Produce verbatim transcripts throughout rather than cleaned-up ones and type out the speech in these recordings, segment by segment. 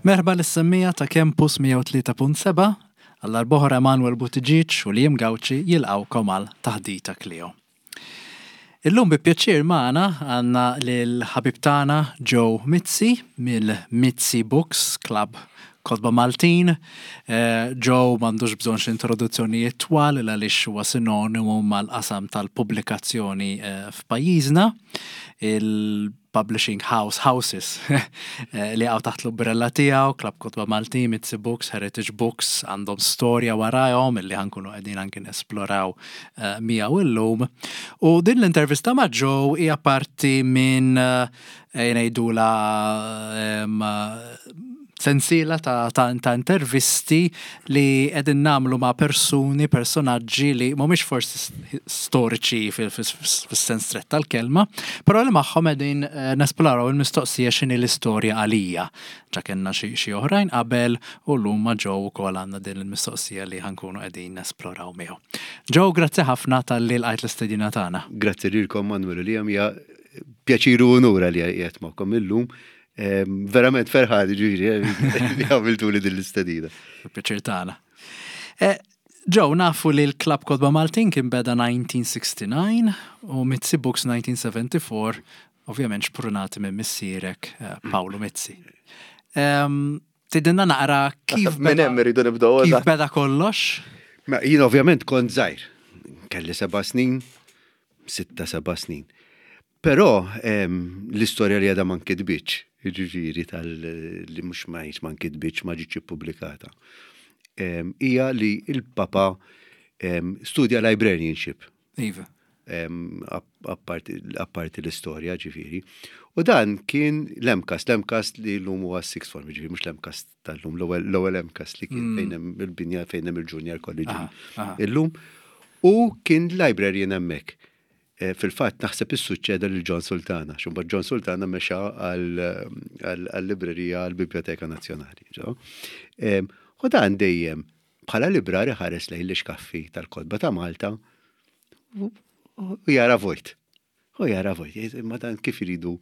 Merħba lis-semmiegħa ta' Campus mija u tlieta punt sebgħa. Għal darb'oħra Emanuel Buttigieg u Liam Gauci jilqgħukom għal Taħdita Kleo. Illum bi pjaċir magħna għandna lil ħabib tagħna Joe Mizzi mill-Mizzi Books Club Kotba Maltin. Eh, Joe m'għandux bżonn introduzzjonijiet twal għaliex huwa sinonimu mal-qasam tal-pubblikazzjoni eh, f'pajjiżna. Il-Publishing House Houses eh, li għaw taħt l-umbrella tiegħu, Club Kotba Maltin, Mizzi Books, Heritage Books, għandhom storja warajhom illi ħa nkunu qegħdin anki nesploraw uh, miegħu illum. U din l-intervista ma' Joe hija parti minn uh, ngħidula um, sensiela ta', ta, ta' intervisti li qegħdin nagħmlu ma' persuni, personaġġi li mhumiex forsi storiċi fis-sens strett tal-kelma, però li magħhom qegħdin eh, nesploraw il-mistoqsija x'inhi l-istorja għalija. Ġa kellna xi xi oħrajn qabel u llum ma' Joe ukoll għandna din il-mistoqsija li ħa nkunu qegħdin nesploraw miegħu. Joe, grazzi ħafna talli lqajt l-istedina tagħna. Grazzi lilkom, Manuel u Liam, hija pjaċir u unur li qiegħed magħkom illum. Verament ferħan ġifieri li għamiltu li din l-istedina. Pjaċir tagħna. Eh, Joe, nafu li l-Club Kotba Maltin kien beda elf disa' mija u disgħa u sittin u Mizzi Books elf disa' mija u erbgħa u sebgħin, ovvjament xprunati minn missierek eh, Paolo Mizzi. Tgħidilna naqra kif Minn hemm irridu nibdew. Kif beda kollox? Ma jien ovvjament kont żgħir. Kelli seba' snin, sitta seba' snin. Però l-istorja li għadha ma nkitbitx, ġifieri tal li mhux ma ma nkitbitx, ma ġietx ippubblikata, hija li il-papa studja librarianship. Iva. Apparti l-istorja ġifieri. U dan kien l-M CAST, l-M CAST li l-lum huwa sixth form, ġifieri mhux l-M CAST tal-lum, l-ewwel M CAST li kien mm. fejn hemm il-binja fejn hemm il-Junior College illum. U kien librarian hemmhekk. Eh, fil-fatt naħseb issuċċeda lil John Sultana, xumba John Sultana mexa għal-librerija għal-Biblioteka Nazzjonali. U dan dejjem bħala librari ħares lejn l-iskaffi tal-kotba ta' Malta u jara vojt. U jara vojt, ma dan kif iridu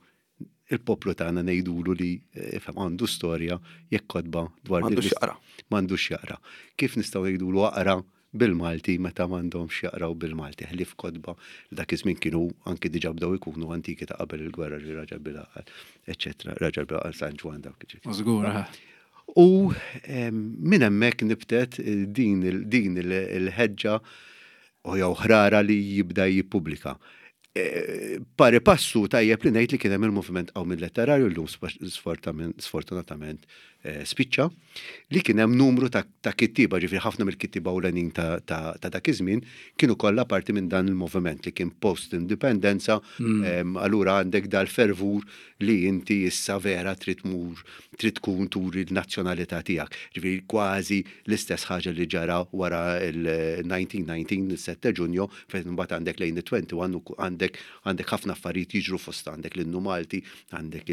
il-poplu tagħna ngħidulu li eh, għandu storja jekk kotba dwar m'għandux jaqra. M'għandux jaqra. Kif nistgħu ngħidulu aqra bil-Malti meta m'għandhomx jaqraw bil-Malti, ħlief kotba li dak iż-żmien kienu anki diġà bdew ikunu antiki ta' qabel il-gwerra, ġi Raġel Bil-Għaqal, eċetera, Raġel Bil-Għaqal, San Ġwann, dawk. Żgur. U minn hemmhekk nibtet din il-ħeġġa u jew ħrara li jibda jippubblika. E, pari passu tajjeb li ngħid li kien hemm il-moviment Qawmien Letterarju, llum sfortunatament e, spiċċa, li kien hemm numru ta' kittiba, ġifieri ħafna mill-kittiba ewlenin ta' dak iż-żmien kienu kollha parti minn dan il-moviment li kien post-indipendenza, mm. allura għandek dal-fervur li inti issa vera trid tmur, trid tkun turi l-nazzjonalità tiegħek. Ġifieri kważi l-istess ħaġa li ġara wara il-elf disa' mija u dsatax, il-sitta Ġunju, fejn mbagħad għandek lejn it-wieħed u għoxrin għandek għandek ħafna affarijiet jiġru, fost għandek l-innu Malti, għandek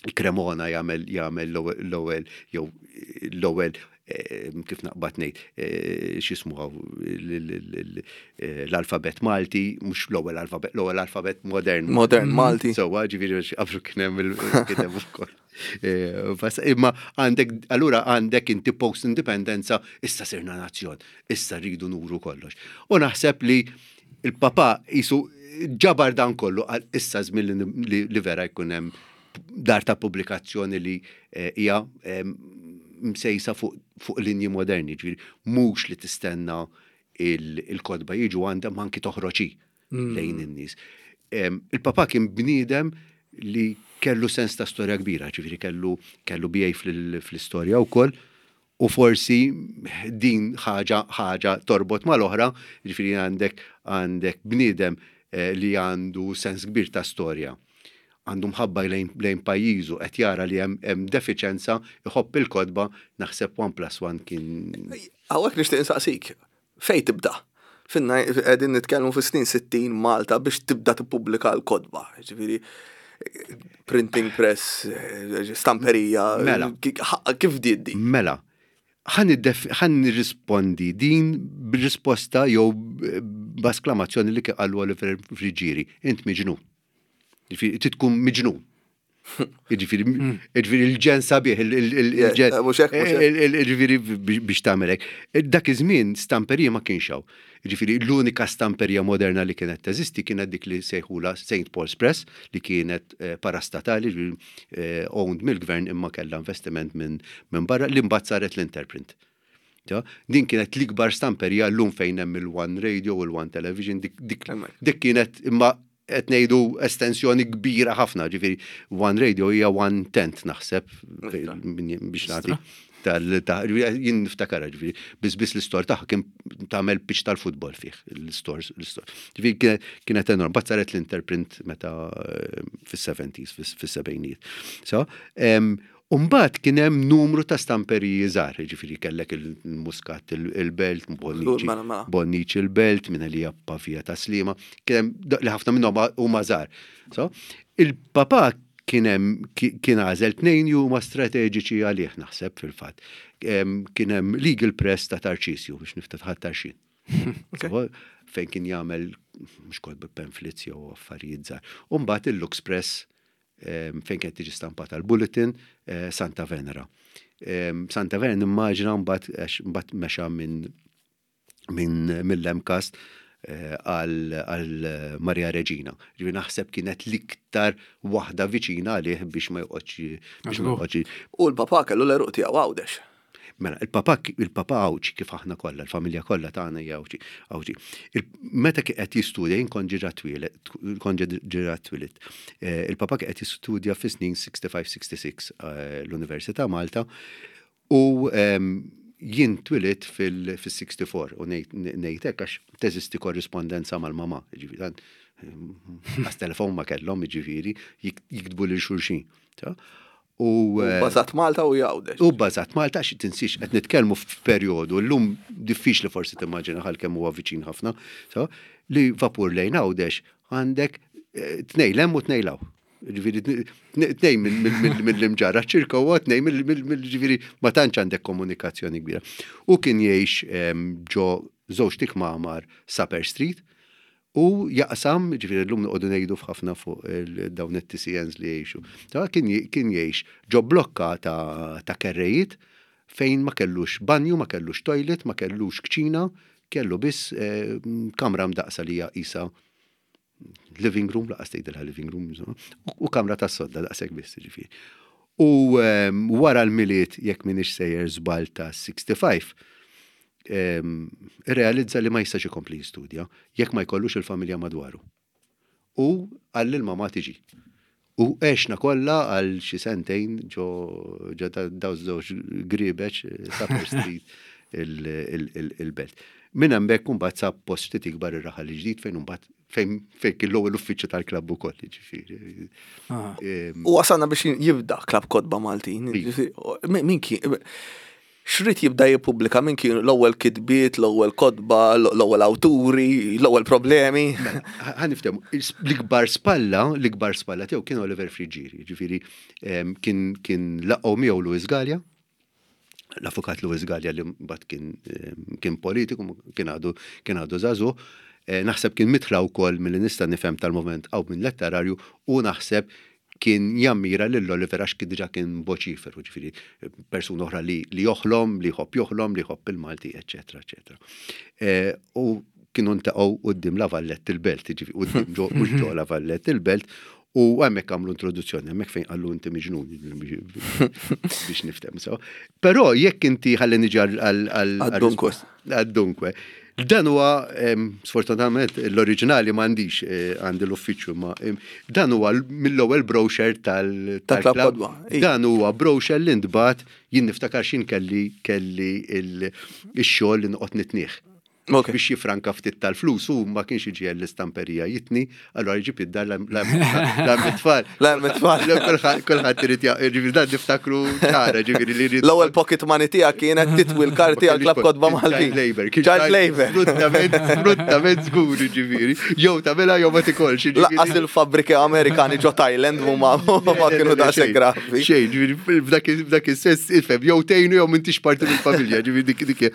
il-Cremona jagħmel jagħmel l-ewwel jew l-ewwel eh, kif naqbad ngħid eh, x'ismu l-alfabet Malti, mhux l-ewwel alfabet, l-ewwel alfabet modern. Modern Malti. Sewwa, ġifieri qablu kien hemm il-kiteb ukoll. Eh, imma għandek, allura għandek inti post-indipendenza, issa sirna nazzjon, issa rridu nuru kollox. U naħseb li il-papa jisu ġabar dan kollu għal issa żmien li vera jkun hemm dar ta' pubblikazzjoni li eh, hija msejsa fuq linji moderni, ġifieri mhux li tistenna il-kotba jiġu għandha, ma anki toħroġi mm. lejn in-nies. Il-papa kien bniedem li kellu sens ta' storja kbira, ġifieri kellu kellu B A fl-istorja wkoll, u forsi din ħaġa ħaġa torbot mal-oħra, ġifieri għandek għandek bniedem eh, li għandu sens kbir ta' storja, għandu mħabba lejn, lejn pajjiżu, qed jara li hemm defiċenza, iħobb il-kotba, naħseb one plus one kien. Hawnhekk nixtieq insaqsik, fej tibda? Finna qegħdin nitkellmu fi snin sittin Malta biex tibda tippubblika l-kotba. Ġifieri printing press, stamperija. Mela. Kif diddi? Mela, ħa nirrispondi din b'risposta jew b'esklamazzjoni li qallu Oliver Friggieri: "Int miġnun." Tkun miġnun. Jiġifieri jiġifieri il-ġenn sabiħ, il-ġenn. Yeah, mhux hekk, mhux hekk. Jiġifieri biex tagħmel hekk. Dak iż-żmien stamperija ma kienx hawn. Jiġifieri l-unika stamperija moderna li kienet teżisti kienet dik li sejħula Saint Paul's Press, li kienet eh, parastatali, ġifieri, eh, owned mill-gvern, imma kellha investiment minn minn barra, li mbagħad saret l-Interprint. Ta? Din kienet l-ikbar stamperija, llum fejn hemm il-One Radio u l-One Television, dik, dik, Hemmhekk. dik kienet, imma qed ngħidu estensjoni kbira ħafna, ġifieri One Radio hija one tenth naħseb min- biex nagħti tal ta' jien niftakar, ġifieri biss biss l-istore tagħha kien tagħmel pitch tal-futbol fih l-istores l-istore. Ġifieri kienet- kienet enorm, mbagħad saret l-Interprint meta eh, fis-seventies, fis-sebgħinijiet. So, em, Umbagħad kien hemm numru ta' stamperiji żgħar, ġifieri kellek il-Muscat il-Belt, Bonnici, Mela, mela. Bonnici il-Belt, minn li Pavia ta' Slima, kien hemm li ħafna minnhom huma żgħar. So, il-papa kien hemm ki- kien għażel tnejn li huma strateġiċi għalih naħseb fil-fatt. Em, Kien hemm Legal Press ta' Tarċisju, biex niftaħ Tarxien. So, fejn kien jagħmel mhux kotba, pamphlets jew affarijiet żgħar. U mbagħad il-Lux Press em, fejn kienet tiġi stampata l-Bulletin, eh, Santa Venera. Em, Santa Venera nimmaġina mbagħad għax mbagħad mexa minn minn mill-M CAST eh, għal għal Maria Regina. Ġifieri naħseb kienet l-iktar waħda viċina għalih biex ma joqgħodx biex ma joqgħodx. U l-papa kellu l-għeruq tiegħu Għawdex. Mela, il-papa il-papa Għawdxi, kif aħna kollha, il-familja kollha tagħna hija Għawdxi. Għawdxi. Il- Meta kien qed jistudja, jien kont ġira twieled, kont ġira twieled. Eh, Il-papa kien qed jistudja fis-snin sittaħxi sittaħxi eh, l-Università Malta u em, jien twilidt fil-sittaħxi u ngħid hekk għax teżisti korrispondenza mal-mama, ġifieri dan għas telefon ma kellhom, ġifieri jiktbu lil xulxin. Ta? U eh, Bażat Malta u Għawdex. U bbażat Malta, xi tinsix qed nitkellmu f'perjodu llum diffiċli forsi timmaġina ħal kemm huwa viċin ħafna, so, li vapur lejn Għawdex għandek eh, tnejn 'l hemm u tnejn 'l hawn. Ġifieri tnejn mill-Imġarr ċirka u tnejn mill, ġifieri ma tantx għandek komunikazzjoni kbira. U kien jgħix em, ġo żewġ kmamar Supper Street u jaqsam, ġifieri llum noqogħdu ngħidu f'ħafna fuq il- dawn it-T C Ns li jgħixu. Ta' kien kien jgħix ġo blokka ta' ta' kerrejiet fejn ma kellux banju, ma kellux toilet, ma kellux kċina, kellu biss eh, kamra mdaqsa li hija isa living room, lanqas tgħidilha living room, insomma, u- u kamra ta' sodda daqshekk biss, ġifieri. U em, wara l-Milied, jekk minix sejjer żball, ta' sittaħxi, em, realizza li ma jistax ikompli jistudja jekk ma jkollux il-familja madwaru. U qal il-mama tiġi. U għexna kollha għal xi sentejn ġo ġo da- daw żewġ gribeċ Supper Street il- il- il- il-Belt. Minn hemmhekk imbagħad sab post ftit ikbar ir-Raħal Ġdid, fejn imbagħad fejn fejn kien l-ewwel uffiċċju tal-klabb ukoll, ġifieri. Ah. Em, U wasalna biex jibda Klabb Kotba Maltin. Iva. Min min kien xrid jibda jippubblika, min kien l-ewwel kitbiet, l-ewwel kotba, l-ewwel awturi, l-ewwel problemi? Mela, ħa niftehmu, l-ikbar spalla, l-ikbar spalla tiegħu kien Oliver Friggieri, ġifieri em, kien kien laqgħu miegħu Louis Gallia, l-avukat Louis Gallia li mbagħad kien em, kien politiku, kien għadu kien għadu żagħżugħ, eh, naħseb kien mitla wkoll milli nista' nifhem tal-moment għaw minn letterarju, u naħseb kien jammira lil Oliver għax kien diġà kien voċiferu, ġifieri persuna oħra li, li joħlom, li jħobb joħlom, li jħobb il-Malti, eċetera, eċetera. Eh, U kienu ntaqgħu quddiem La Vallette il-Belt, ġifieri quddiem ġo, mhux ġo La Vallette il-Belt, u hemmhekk għamlu introduzzjoni, hemmhekk fejn qallu inti miġnun biex niftem. So. Però jekk inti ħalli niġi għal għal Għad-dunkwe. Għad-dunkwe. Dan huwa em, sfortunatament l-oriġinali m'għandix, eh, għandi l-uffiċċju, ma em, dan huwa l- mill-ewwel brochure tal Ta' Klabb tal-klabb. Kotba, i. Dan huwa brochure li ntbagħat, jien niftakar xin kelli kelli il- ix-xogħol li noqgħod nitnieh Ok. biex jifranka ftit tal-flus, u ma kienx iġi l-istamperija jitni, allora jġib id-dar l-tfal. L-tfal. Kulħadd irid ġifieri dan niftakru ċara, ġifieri li jrid. L-ewwel pocket money tiegħek kienet titwi l-karti għal Klabb Kotba Maltin. Child labor. Child labor. Sfruttament, sfruttament żgur, ġifieri. Jew tagħmilha jew ma tikolx. ġifieri. Lanqas il-fabbriki Amerikani ġo Thailand huma ma kienu daqshekk gravi. Xejn, ġifieri, f'dak f'dak is-sens, ifhem, jew tgħinu jew m'intix parti mill-familja, ġifieri dik dik.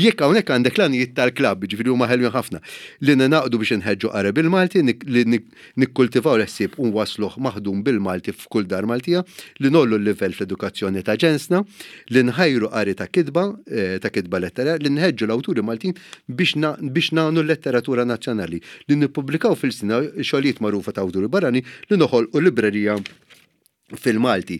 Jekk hawnhekk għandek l-għanijiet tal Club, ġifieri huma ħelwin ħafna. Li ningħaqdu biex nħeġġu qari bil-Malti, li nikkultivaw l-ħsieb u nwasluh maħdum bil-Malti f'kull dar Maltija, li ngħollu l-livell fl-edukazzjoni ta' ġensna, li nħajru qari ta' kitba, eh, ta' kitba lettera, li nħeġġu l-awturi Maltin biex nagħnu l-letteratura nazzjonali, li nippubblikaw f'ilsienna xogħlijiet magħrufa ta' awturi barrani, li noħolqu librerija fil-Malti.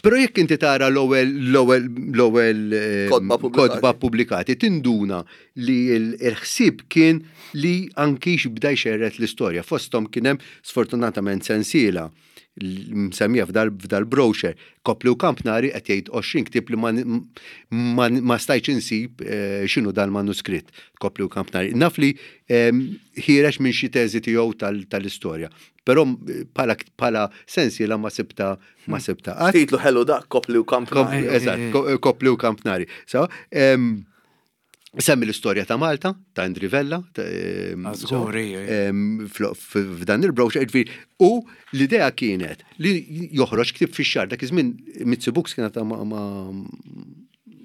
Però jekk inti tara l-ewwel l-ewwel l-ewwel eh, kotba pubblikati, tinduna li l-ħsieb kien li anki x'bda jxerred l-istorja. Fosthom kien hemm sfortunatament sensiela msemmija f'dal brochure, Kopli u Kampnari qed jgħid għoxrin ktieb li ma stajtx insib eh, x'inhu dal-manuskritt, Kopli u Kampnari. Naf li ehm, ħiereġ minn xi teżi tiegħu tal-istorja. Però bħala sensiela ma sibta ma sibta. Titlu ħelu dak, Kopli u Kampnari. Eżatt, Kopli u Kampnari. So, semmi l-istorja ta' Malta, ta' Indri Vella, f'dan il-brochure, u l-idea kienet li joħroġ ktieb fix-xahar, dak iż-żmien Mizzi Books kienet ma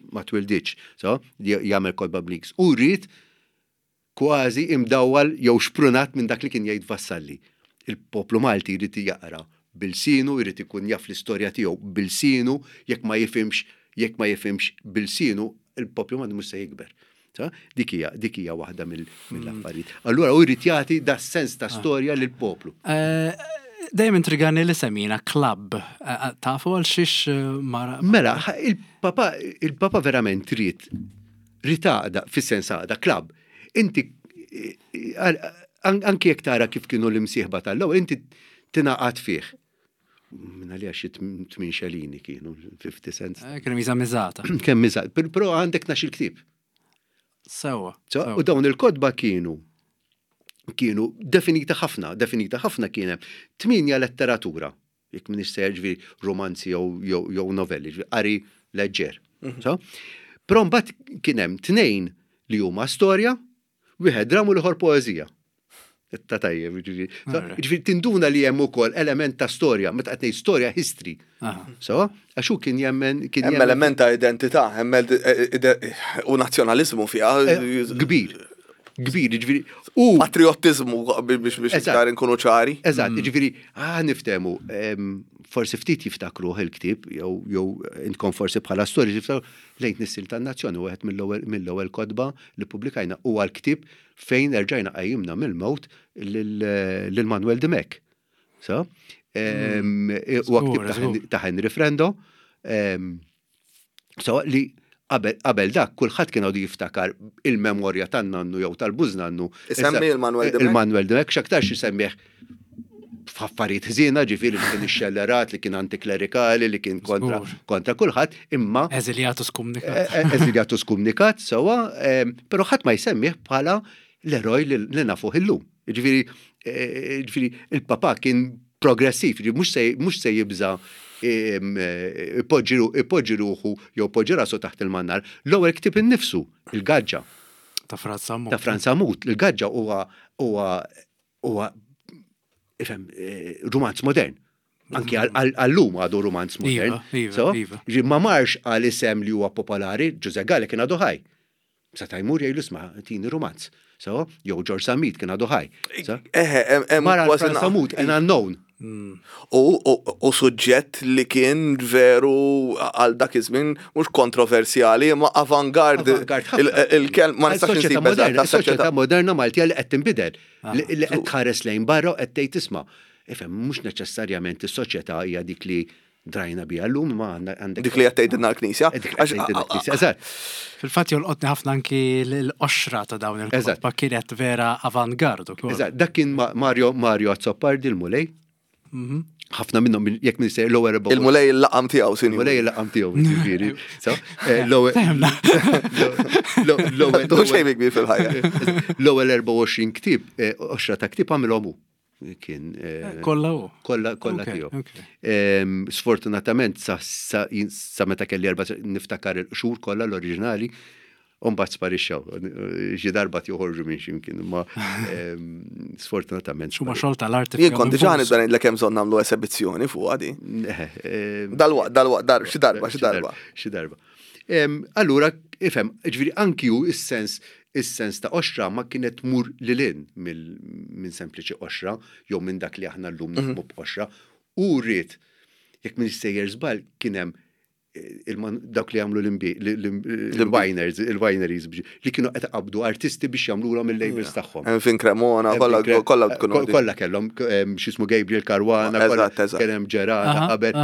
ma twilditx, so, jagħmel kotba bl-Ingliż. U rrid kważi imdawwal jew xprunat minn dak li kien jgħid Vassalli. Il-poplu Malti jrid jaqra b'ilsienu, jrid ikun jaf l-istorja tiegħu b'ilsienu, jekk ma jifhimx, jekk ma jifhimx b'ilsienu, il-poplu Malti mhux se jikber. Dik hija dik hija waħda mill-affarijiet. Allura hu jrid jagħti da sens ta' storja lill-poplu. Eh, dejjem intrigani li semmina club. Eh, eh, tafu għal xiex mara? Mela, il-papa il-papa verament ried ried għaqda, fis-sens għaqda, club. Inti anki jekk tara kif kienu l-imsieħba tal-ewwel, inti tingħaqad fih. Minna li għax tmien xelini kienu, fifty cents. Kienu miża miżata. Kemm miżata, però għandek tnax-il ktieb. Sewa. U dawn il-kotba kienu kienu definita ħafna, definita ħafna kien hemm tminja letteratura, jekk m'iniex sejjer ġifieri romanzi jew novelli, ġifieri qari leġġer. Mhm. Però mbagħad kien hemm tnejn li huma storja, wieħed dram u l-ieħor poeżija. Ta' tajjeb, ġifieri. Ġifieri tinduna li hemm ukoll element ta' storja, meta qed ngħid storja history. So, għax hu kien jemmen kien hemm element ta' identità, hemm u nazzjonaliżmu fiha. Eh, kbir. Kbir, ġifieri. U patriottiżmu biex biex iktar inkunu ċari. Eżatt, mm. ġifieri, ah niftehmu, forsi ftit jiftakruh il-ktieb jew jew intkom forsi bħala storja jiftakru lejn tnissil tan-nazzjoni wieħed mill-ewwel kotba li pubblikajna huwa l-ktieb fejn erġajna qajjimna mill-mewt lil Manuel Dimech. So, huwa ktieb ta' Henry Frendo. So, li qabel dak kulħadd kien għadu jiftakar il-memorja tan-nannu jew tal-bużnannu. Isemmi il-Manuel Dimech. Il-Manuel Dimech x'aktarx isemmih f'affarijiet ħżiena, ġifieri li kien ixxellerat, li kien antiklerikali, li kien kontra kontra kulħadd, imma Eżiljatu skumnikat. E, e, eżiljatu skumnikat, sewwa, però ħadd ma jsemmih bħala l-eroj li nafuh illum. Ġifieri, e, ġifieri il-papa kien progressiv, mhux se jibża ipoġġi ruħu jew poġġi rasu taħt il-mannar. L-ewwel ktieb innifsu, il-Gaġġa. Ta' Franz Sammut. Ta' Franz Sammut. Il-Gaġġa huwa huwa huwa ifhem rumanz modern. Anki għallum għadu rumanz modern. Iva, iva. Ma marx għal isem li huwa popolari, Ġużè Galea kien għadu ħaj. Seta' jmur jgħidlu isma' tini rumanz. So, jew George Zammit kien għadu ħaj. Eħe, Mara Franz Sammut, an unknown. U suġġett li kien veru għal dak iż-żmien mhux kontroversjali, ma avangard. Il-kelm ma nistax insib eżatt. Soċjetà moderna Maltija li qed tinbidel, li qed tħares lejn barra u qed tgħid isma'. Ifhem, mhux neċessarjament is-soċjetà hija dik li drajna biha llum, ma għandek. Dik li qed tgħidilna l-Knisja. Dik li qed tgħidilna l-Knisja, eżatt. Fil-fatt jolqotni ħafna anki l-qoxra ta' dawn il-kotba kienet vera avangard ukoll. Eżatt, dak kien Mario Mario Azzopardi l-Mulej. Ħafna minnhom jekk min sejjer l-ewwel erba' Il-Mulej il-laqam tiegħu, sinjur. Il-Mulej il-laqam tiegħu, ġifieri. So, l-ewwel l-ewwel Tu xejn kbir fil-ħajja. L-ewwel erbgħa u għoxrin ktieb, qoxra ta' ktieb għamilhom hu. Kien Kollha hu. Kollha, kollha tiegħu. Sfortunatament sa, sa, sa meta kelli erba' niftakar il-qxur kollha l-oriġinali, u mbagħad sparixxew. Xi darba joħorġu minn x'imkien, imma sfortunatament. X'huma xogħol tal-arti. Jien kont diġà nibda ngħidlek hemm bżonn nagħmlu esebizzjoni fuq għadi. Dalwaqt, dalwaqt, dar, xi darba, xi darba. Xi darba. Allura, ifhem, ġifieri anki hu is-sens Is-sens ta' qoxra ma kienet tmur lil hinn minn sempliċi qoxra jew minn dak li aħna llum nifhmu b'qoxra. U rrid, jekk minn sejjer żball, kien hemm dawk li jagħmlu l-winers, il-wineries li kienu qed qabdu artisti biex jagħmluhom il-labels tagħhom. Fin Cremona, kollha kollha tkunu. Kollha kellhom x'ismu Gabriel Caruana, kien hemm Ġerata qabel.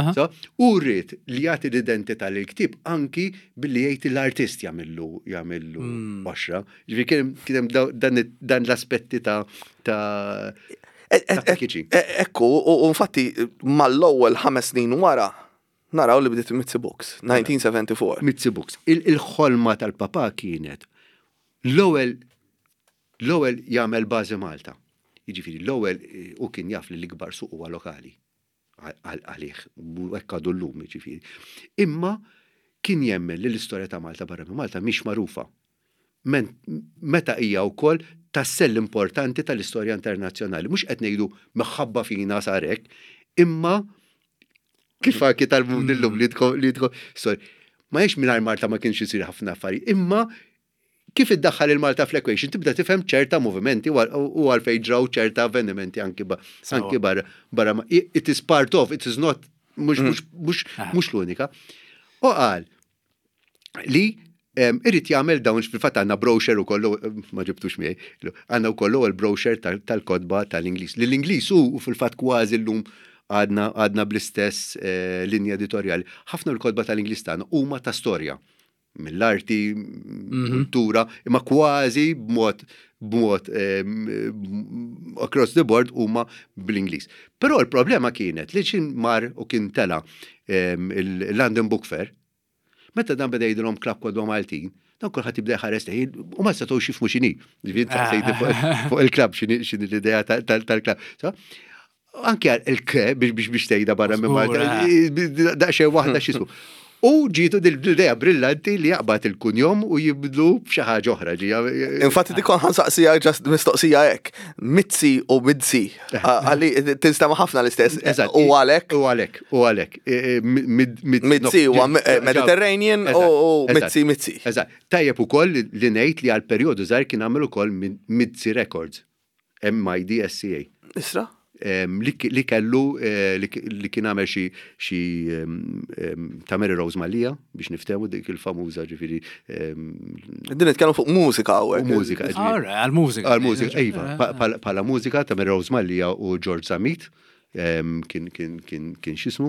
U rrid li jagħti l-identità lil ktieb anki billi jgħid l-artist jagħmillu jagħmillu qoxra. Ġifieri kien hemm dan l-aspetti ta' ta' Ekku, u infatti mal-ewwel ħames snin wara naraw li bdiet Mizzi Books, elf disa' mija u erbgħa u sebgħin. Mizzi Books. Il-ħolma tal-papa kienet l-ewwel l-ewwel jagħmel bażi Malta. Jiġifieri l-ewwel u kien jaf li l-ikbar suq huwa lokali għalih, u hekk għadu llum, jiġifieri. Imma kien jemmen li l-istorja ta' Malta barra minn Malta mhix magħrufa. Meta hija wkoll tassell importanti tal-istorja internazzjonali. Mhux qed ngħidu minħabba fina sarek, imma kif anki tal-mum illum li tkun li tkun sorry. Ma jiex mingħajr Malta ma kienx isir ħafna affarijiet, imma kif iddaħħal il-Malta fl-equation tibda tifhem ċerta movimenti u għalfejn ġraw ċerta avvenimenti anki anki barra barra it is part of, it is not mhux mhux mhux mhux l-unika. U qal li irrid jagħmel dawn, fil-fatt għandna brochure ukoll, ma ġibtux miegħi, għandna wkoll il-brochure tal-kotba tal-Ingliż. Li l-Ingliż hu fil-fatt kważi llum għadna għadna bl-istess linja editorjali. Ħafna l-kotba tal-Ingliż tagħna huma ta' storja mill-arti, kultura, imma kważi b'mod b'mod across the board huma bl-Ingliż. Però l-problema kienet li xin mar u kien tela il-London Book Fair, meta dan beda jgħidilhom Klabb Kotba Maltin, dan kulħadd jibda jħares lejn u ma setgħux jifhmu x'inhi. Ġifieri saqsejt fuq il-klabb x'inhi l-idea tal-klabb. Anke il-ke biex biex biex tgħidha barra minn Malta, daqsxejn waħda x'ismu. U ġietu dil-idea brillanti li jaqbad il-kunjom u jibdlu f'xi ħaġa oħra. Infatti dikon ħa nsaqsija just mistoqsija hekk. Mizzi u Midzi. Għalli tinstema' ħafna l-istess. U għalek. U għalek, u għalek. Mizzi u Mediterranean u Mizzi Mizzi. Eżatt. Tajjeb ukoll li ngħid li għal perjodu żgħar kien għamel ukoll Mizzi Records. M I D S C A. Isra? Li kellu li kien għamel xi xi ta' Mary Rose Mallia biex niftehmu dik il-famuża, ġifieri. Din nitkellmu fuq mużika hawnhekk. Mużika. Għal-mużika. Għal-mużika, iva, bħala mużika ta' Mary Rose Mallia u George Zammit kien kien kien kien x'ismu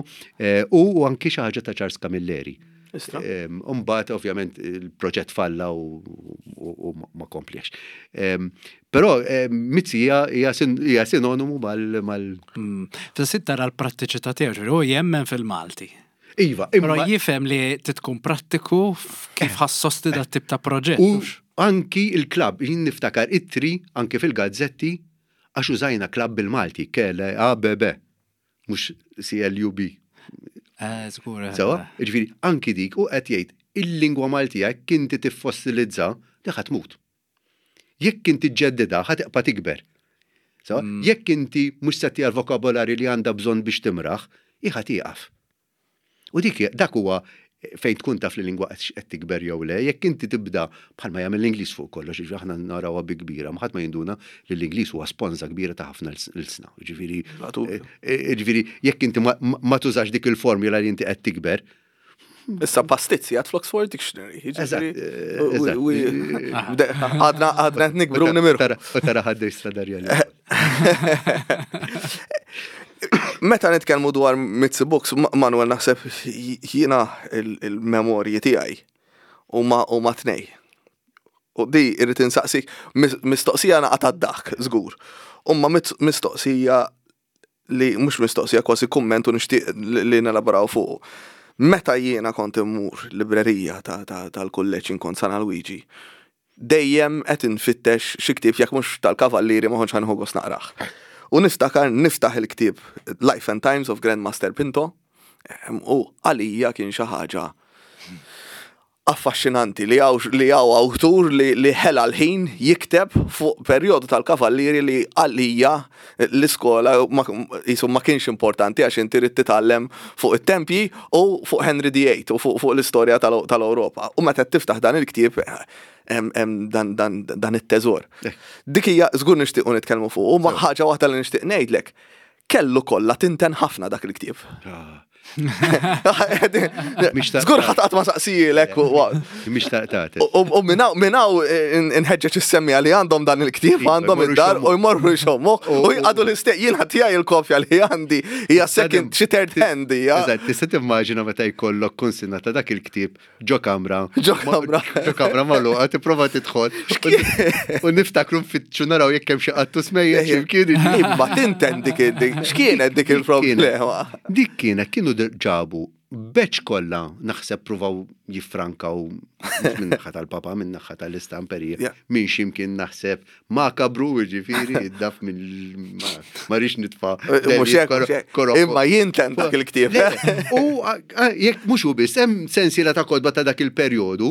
u anki xi ħaġa ta' Charles Camilleri. Umbagħad, ovvjament, il-proġett falla u ma kompliex. Però Mizzi hija sinonimu mal. mal Fis tara l-prattiċità tiegħu, u jemmen fil-Malti. Iva, Però jifhem li titkun prattiku kif ħa ssosti dat tip ta' proġett. U anki il-klabb, jien niftakar ittri anki fil-gazzetti għax użajna klabb bil-Malti, K L A B B, mhux C L U B. Eh, żgur. Sewwa, ġifieri, anki dik u qed jgħid il-lingwa Maltija jekk inti tiffossilizza li ħa tmut. Jekk inti ġġeddidha, ħa tibqa' tikber. Sewwa, jekk inti mhux se l-vokabolari li għandha bżonn biex timraħ, ħa tieqaf. U dik dak huwa fejn tkun taf li lingwa qed tikber jew le, jekk inti tibda bħalma jagħmel l-Ingliż fuq kollox, ġifieri aħna narawha bi kbira, ma ħadd ma jinduna li l-Ingliż huwa sponża kbira ta' ħafna l-sna. Ġifieri ġifieri jekk inti ma tużax dik il-formula li inti qed tikber. Issa pastizzi għad fl-Oxford Dictionary. Għadna għadna nikbru nimirħu. U tara ħadda jistradarja. Meta nitkellmu dwar Mizzi Books, Manuel, naħseb jiena il-memorji tiegħi huma huma tnej. U di irrid insaqsik mistoqsija naqa' dak żgur. Umma mistoqsija li mhux mistoqsija, kważi kumment, u nixtieq li nelaboraw fuq. Meta jiena kont immur librerija tal-kulleġġ kont San Alwiġi, dejjem qed infittex xi ktieb, jekk mhux tal-Kavallieri ma kontx ħa nieħu gost naqrah. U niftakar niftaħ il-ktieb Life and Times of Grandmaster Pinto u għalija kien xi ħaġa affaxxinanti li għaw li għaw awtur li, li ħela l-ħin jikteb fuq perjodu tal-Kavallieri li għalija l-iskola ma, jisu ma kienx importanti għax inti trid titgħallem fuq it-tempji u fuq Henry the Eighth u fuq, fuq l-istorja tal-Ewropa. U meta tiftaħ dan il-ktieb hemm dan dan dan it-teżor. Dik hija żgur nixtiequ nitkellmu fuq, u ma ħaġa waħda li nixtieq ngħidlek. Kellu kollha tinten ħafna dak il-ktieb. Ah, Mhix ta' Żgur ħadd qatt ma saqsijilek u Mhix taqtat. U u minnaw, minnaw inħeġġeġ is-semmiegħa li għandhom dan il-ktieb, Iva, għandhom jmorru id-dar jxommu. u jmorru jxommu u jqadu l-istess jiena tiegħi il-kopja li għandi hija second xi third hand hija. Eżatt, tista' timmaġina meta jkollok kunsinna ta' dak il-ktieb ġo kamra. Ġo kamra. Ġo kamra magħluqa tipprova tidħol. U niftakru nfittxu naraw jekk hemm xi qattus mejjet x'imkien. Imma tinten dik dik x'kienet dik il-problema. Dik kienet kienu ġabu batch kollha naħseb pruvaw jiffrankaw mhux minn naħa tal-papa, minn naħa tal-istamperija, Yeah. minn ximkien naħseb makabru ġifieri id-daf minn ma rix nitfa' Mhux hekk, mhux hekk. Imma jinten dak il-ktieb. Le, U a- a- jekk mhux hu biss, hemm sensiela ta' kotba ta' dak il-perjodu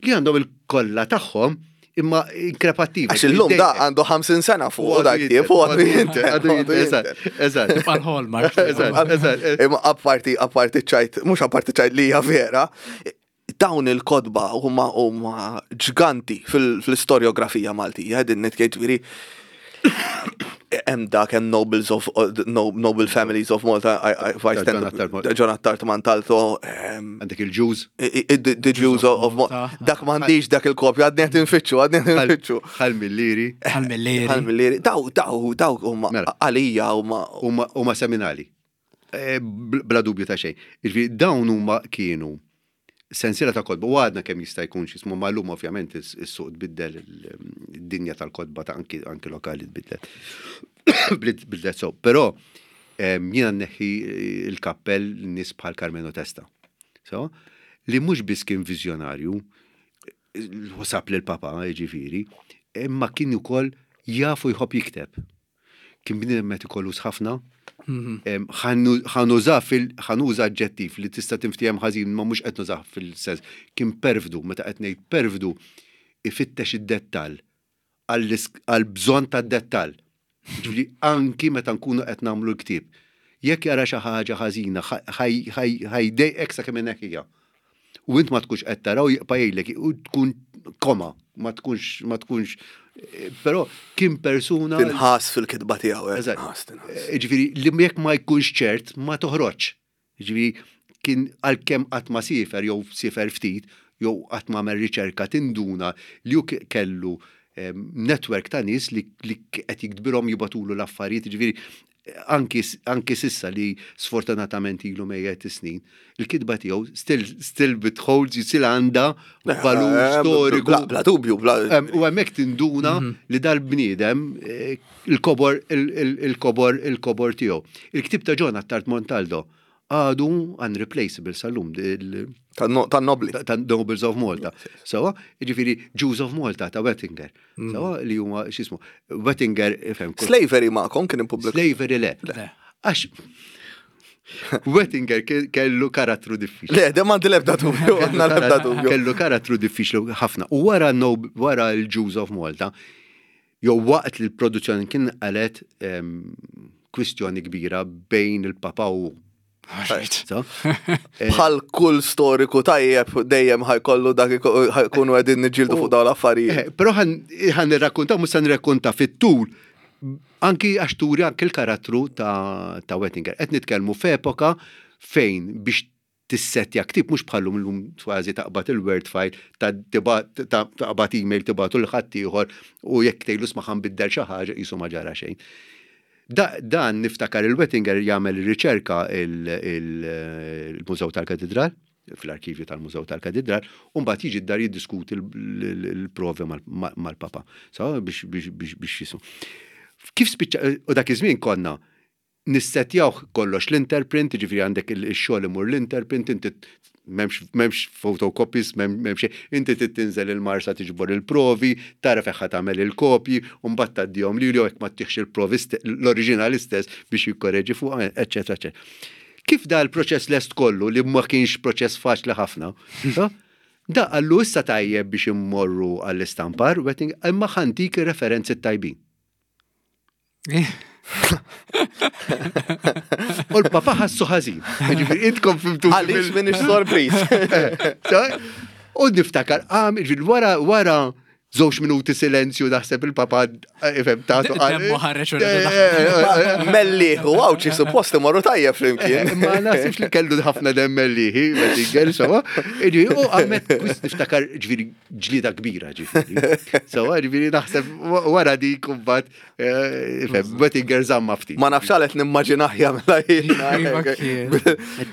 li għandhom il-kollha tagħhom imma inkrepattiva. Għax illum da għandu ħamsin sena fuq u dak ktieb u għadu jinten. Għadu għadu jinten, jinten. eżatt, eżatt. Tibqa' l-hallmark. Eżatt, eżatt. Imma apparti apparti ċajt, mhux apparti ċajt li hija vera, dawn il-kotba huma huma ġganti fil- fil-istoriografija Maltija, din nitkejt ġifieri hemm dak hemm Nobles of no, Noble Families of Malta, I, I, if I Ta' stand John Attard Malta. John Attard Montalto, ehm, Għandek il-Jews. i- i- the the Jews of Malta. Malta. Dak m'għandix dak il-kopja, għadni qed infittxu, għadni qed infittxu. Ħal Millieri Għal-millieri. Għal-millieri, daw, daw, daw huma Mela. għalija huma huma huma seminali. Eh, bl- Bla dubju ta' xejn. Jiġifieri dawn huma kienu sensiela ta' kotba u għadna kemm jista' jkun x'ismu malum ovvjament is- is-suq tbiddel id-dinja tal-kotba ta' anki anki lokali tbiddel. Bid- Bidlet so, però em, jiena nneħħi il-kappell nies bħal Karmenu Testa. So, li mhux biss kien viżjonarju, ħosab lil papa jiġifieri, imma kien ukoll jafu jħobb jikteb. Kien bniedem metikolus ħafna, Em, ħannu- ħanuża fil ħanuża aġġettiv li tista' tinftiehem ħażin ma mhux qed nużah fil-sens. Kien perfdu, meta qed ngħid perfdu, ifittex id-dettall għall bżonn tad-dettall. Ġifieri anki meta nkunu qed nagħmlu l-ktieb. Jekk jara xi ħaġa ħażina, ħajdejqek sakemm inneħħiha. U int ma tkunx qed taraw jibqa' jgħidlek u tkun koma, ma tkunx ma tkunx però kien persuna tinħas fil-kitba tiegħu. eh, Eżatt. tinħas, tinħas. Ġifieri, li jekk ma jkunx ċert, ma toħroġ. Ġifieri, kien għalkemm qatt ma sifer jew sifer ftit, jew qatt ma għamel riċerka tinduna li hu ke- kellu em, network ta' nies li li qed jiktbilhom jibatulu l-affarijiet, ġifieri anki, anki sissa li sfortunatament ilu mejjet snin, il-kitba tiegħu still still bitholds, still għandha valur Eh, storiku. Bla, bla dubju, bla. Em, U hemmhekk tinduna li dal-bniedem eh, il-kobor il- il-kobor il-kobor tiegħu. Il-ktib ta' John Attard Montaldo għadu unreplaceable sal-lum il- Tan-nobli. ta' ta' Nobles of Malta. Sawa, ġifieri Jews of Malta ta' Wettinger. Sawa, li huma x'ismu. Wettinger, ifhem, kull- Slavery ma'kom kien ippubblikat. Slavery le. Le. Għax Wettinger ke- kellu karattru diffiċli. Le, dem għandi lebda dubju, għandna lebda dubju. Kellu karattru diffiċli ħafna. U wara no, wara l-Jews of Malta, jew waqt li l-produzzjoni kien qalet em, kwistjoni kbira bejn il-papa u Right. So, Bħal kull storiku tajjeb dejjem ħajkollu dak iko- ħajkunu qegħdin niġġieldu fuq dawn l-affarijiet. Eh, Però ħan nirrakkonta, mhux se nirrakkonta fit-tul, anki għax turi anki l-karattru ta', ta' Wettinger. Qed nitkellmu f'epoka fejn biex tissetja ktib mhux bħallum illum kważi taqbad il-Word file ta' tiba- ta' taqbad email tibatu l ħadd ieħor u jekk tgħidlu sma' ħanbiddel xi ħaġa qisu ma ġara xejn. Da, dan niftakar il-Wettinger jagħmel riċerka il-Mużew tal-Katedral, fl-arkivju tal-Mużew tal-Katedral, u mbagħad jiġi d-dar jiddiskuti l-provi mal-papa. So, biex biex biex biex jisu. Kif spiċċa, u dak iż-żmien konna nissetjawh kollox l-interprint, ġifieri għandek il-xogħol imur l-interprint, inti m'hemmx m'hemmx photocopies, m'hemm xejn, inti trid tinżel il-Marsa tiġbor il-provi, tara fejn ħa tagħmel il-kopji, u mbagħad tgħaddihom lilu jekk ma tieħx il-provi l-oriġinali stess biex jikkoreġi fuq, eċetera, eċetera. Kif da l-proċess lest kollu li ma kienx proċess faċli ħafna, da għallu issa tajjeb biex immorru għall-istampar, wetting, imma ħantik ir-referenzi tajbin. U l-papa ħassu ħażin. Ġifieri intkom fimtu. Għaliex minix sorpriż. U niftakar, għam, ġifieri, wara, wara, żewġ minuti silenzju naħseb il-papa, ifhem, tatu. Demmu ħareġ u reġa' Mellieħ u Għawdxi suppost imorru tajjeb flimkien. Ma naħsibx li kellu ħafna demm Mellieħi, Wettinger, sewwa. Ġifieri, u għamet, kwis niftakar, ġifieri, ġlida kbira, ġifieri. Sewwa, ġifieri, naħseb wara dik kumbat, ifhem, Wettinger żamma ftit. Ma nafx għalet nimmaġinah jagħmilha Iva, kien.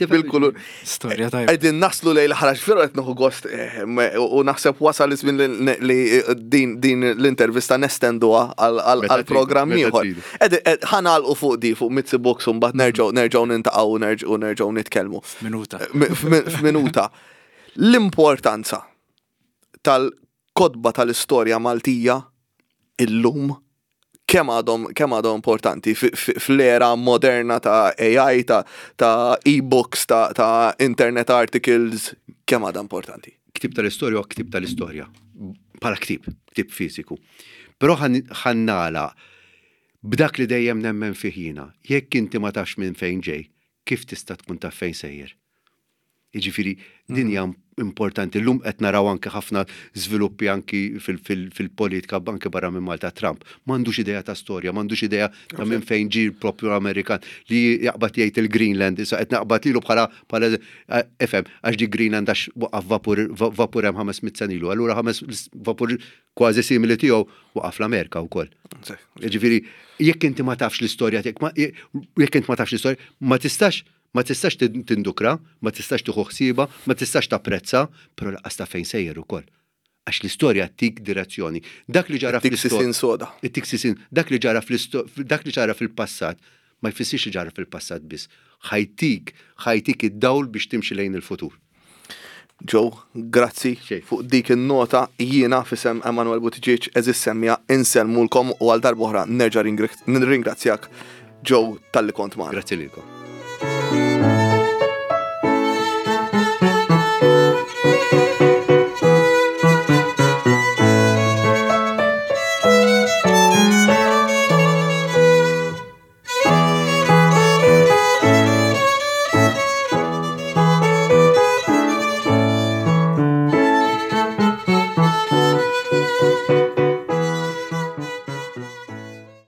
bil-kulur. Storja tajba. Qegħdin naslu lejn l-ħaraġ firu qed nieħu gost eh, me- u naħseb wasal iż-żmien li- li din din l-intervista nestenduha għal Meta għal programm tridu, meta ieħor. tridu. Ed- ed- Ħa nagħlqu fuq di fuq Mizzi Books u mbagħad nerġgħu nerġgħu nintaqgħu u nerġgħu nerġgħu nitkellmu. Minuta. M- f'mi- F'minuta. L-importanza tal-kotba tal-istorja Maltija illum kemm għadhom kemm għadhom importanti fi- fi- fl-era moderna ta' A I, ta' ta' e-books, ta' ta' internet articles, kemm għadha importanti? Ktib tal-istorja u ktib tal-istorja. Bħala ktib, ktib fiziku. Però ħa nagħlaq b'dak li dejjem nemmen fih jiena. Jekk inti ma tafx minn fejn ġej, kif tista' tkun taf fejn sejjer? Jiġifieri, din hija importanti. Llum qed naraw anke ħafna żviluppi anki fil-politika anke barra minn Malta. Trump. M'għandux idea ta' storja, m'għandux idea ta' minn fejn ġie propju Amerikan li jaqbad jgħid il-Greenland, issa qed naqbad lilu bħala bħala ifhem, għax di Greenland għax waqaf vapur vapur hemm ħames mitt sena ilu. Allura ħames vapur kważi simili tiegħu waqaf l-Amerika wkoll. Ġifieri, jekk inti ma tafx l-istorja tiegħek, jekk inti ma tafx l-istorja, ma tistax ma tistax tindukra, ma tistax tieħu ħsieba, ma tistax tapprezza, però lanqas taf fejn sejjer ukoll. Għax l-istorja tik direzzjoni. Dak li ġara fl-istorja. Soda. Tik sisin. Dak li ġara fl dak li ġara fil-passat, ma jfissirx li ġara fil-passat biss. Ħa jtik, ħa jtik id-dawl biex timxi lejn il-futur. Joe, grazzi fuq dik il-nota. Jiena f'isem Emanuel Buttigieg, għeżież semmiegħa, insellmulkom u għal darb'oħra nerġa' nirringrazzjak, Joe, talli kont magħna. Grazzi lilkom.